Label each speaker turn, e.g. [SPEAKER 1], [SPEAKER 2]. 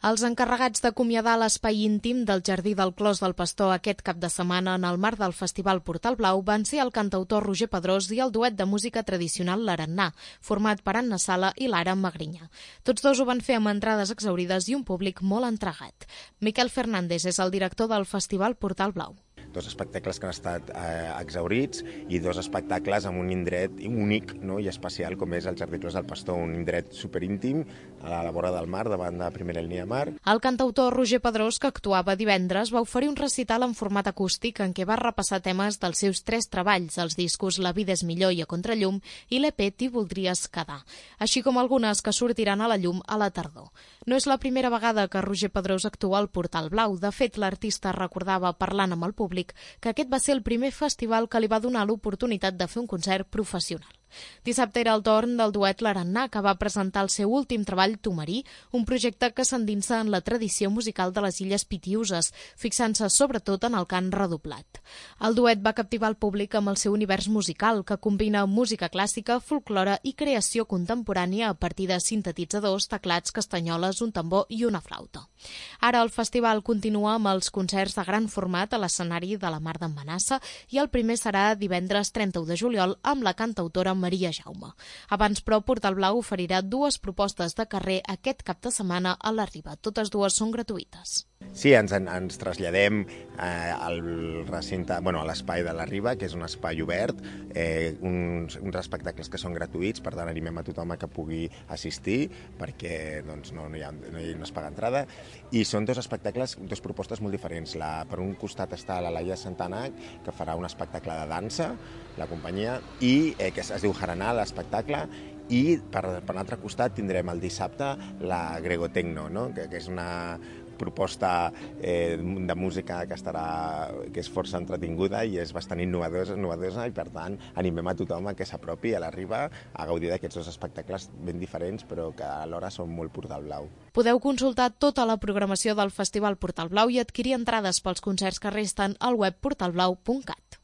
[SPEAKER 1] Els encarregats d'acomiadar l'espai íntim del Jardí del Clos del Pastor aquest cap de setmana en el marc del Festival Portal Blau van ser el cantautor Roger Pedrós i el duet de música tradicional L'Arannà, format per Anna Sala i Lara Magrinyà. Tots dos ho van fer amb entrades exhaurides i un públic molt entregat. Miquel Fernández és el director del Festival Portal Blau.
[SPEAKER 2] Dos espectacles que han estat exhaurits i dos espectacles amb un indret únic, no, i especial com és el Jardí Clos del Pastor, un indret superíntim a la vora del mar, davant de primera línia de mar.
[SPEAKER 1] El cantautor Roger Pedrós, que actuava divendres, va oferir un recital en format acústic en què va repassar temes dels seus 3 treballs, els discos La vida és millor i A contrallum i l'EP T'hi voldries quedar, així com algunes que sortiran a la llum a la tardor. No és la primera vegada que Roger Pedrós actua al Portal Blau. De fet, l'artista recordava, parlant amb el públic, que aquest va ser el primer festival que li va donar l'oportunitat de fer un concert professional. Dissabte era el torn del duet L'Arannà, que va presentar el seu últim treball, Tumarí, un projecte que s'endinsa en la tradició musical de les Illes Pitiüses, fixant-se sobretot en el cant redoblat. El duet va captivar el públic amb el seu univers musical, que combina música clàssica, folklore i creació contemporània a partir de sintetitzadors, teclats, castanyoles, un tambor i una flauta. Ara el festival continua amb els concerts de gran format a l'escenari de la Mar d'en Manassa i el primer serà divendres 31 de juliol amb la cantautora Maria Jaume. Abans, però, Portal Blau oferirà 2 propostes de carrer aquest cap de setmana a la Riba. Totes 2 són gratuïtes.
[SPEAKER 2] Sí, ens traslladem al recinte, a l'espai de la Riba, que és un espai obert, uns espectacles que són gratuïts, per tant animem a tothom a que pugui assistir, perquè no es paga entrada, i són 2 espectacles, 2 propostes molt diferents. Per un costat està la Laia Santana, que farà un espectacle de dansa, la companyia, i que es diu Haranà, l'espectacle, i per l'altre costat tindrem el dissabte la Gregotecno, no? que és una proposta de música que és força entretinguda i és bastant innovadora i per tant animem a tothom a que s'apropi a la Riba a gaudir d'aquests 2 espectacles ben diferents però que alhora són molt Portal Blau.
[SPEAKER 1] Podeu consultar tota la programació del Festival Portal Blau i adquirir entrades pels concerts que resten al web portalblau.cat.